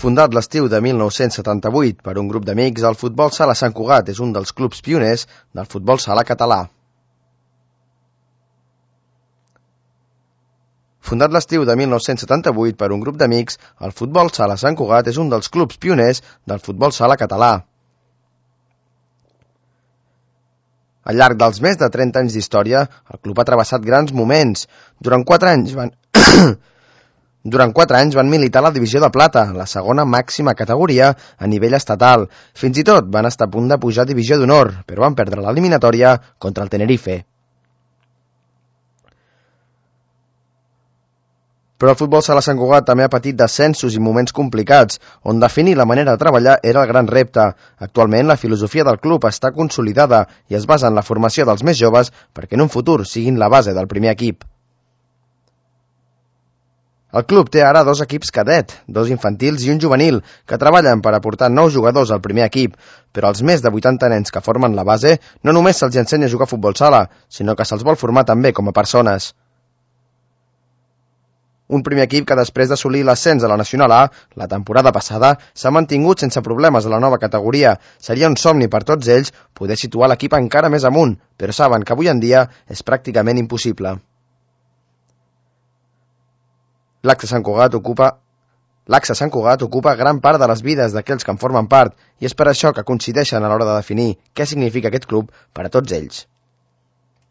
Fundat l'estiu de 1978 per un grup d'amics, el Futbol Sala Sant Cugat és un dels clubs pioners del futbol sala català. Fundat l'estiu de 1978 per un grup d'amics, el Futbol Sala Sant Cugat és un dels clubs pioners del futbol sala català. Al llarg dels més de 30 anys d'història, el club ha travessat grans moments. Durant 4 anys van militar a la divisió de plata, la segona màxima categoria a nivell estatal. Fins i tot van estar a punt de pujar a divisió d'honor, però van perdre l'eliminatòria contra el Tenerife. Però el futbol sala Sant Cugat també ha patit descensos i moments complicats, on definir la manera de treballar era el gran repte. Actualment, la filosofia del club està consolidada i es basa en la formació dels més joves perquè en un futur siguin la base del primer equip. El club té ara 2 equips cadet, 2 infantils i un juvenil, que treballen per aportar nous jugadors al primer equip, però als més de 80 nens que formen la base no només se'ls ensenya a jugar a futbol sala, sinó que se'ls vol formar també com a persones. Un primer equip que després d'assolir l'ascens a la Nacional A, la temporada passada, s'ha mantingut sense problemes a la nova categoria. Seria un somni per tots ells poder situar l'equip encara més amunt, però saben que avui en dia és pràcticament impossible. L'Axe Sant Cugat ocupa gran part de les vides d'aquells que en formen part i és per això que coincideixen a l'hora de definir què significa aquest club per a tots ells.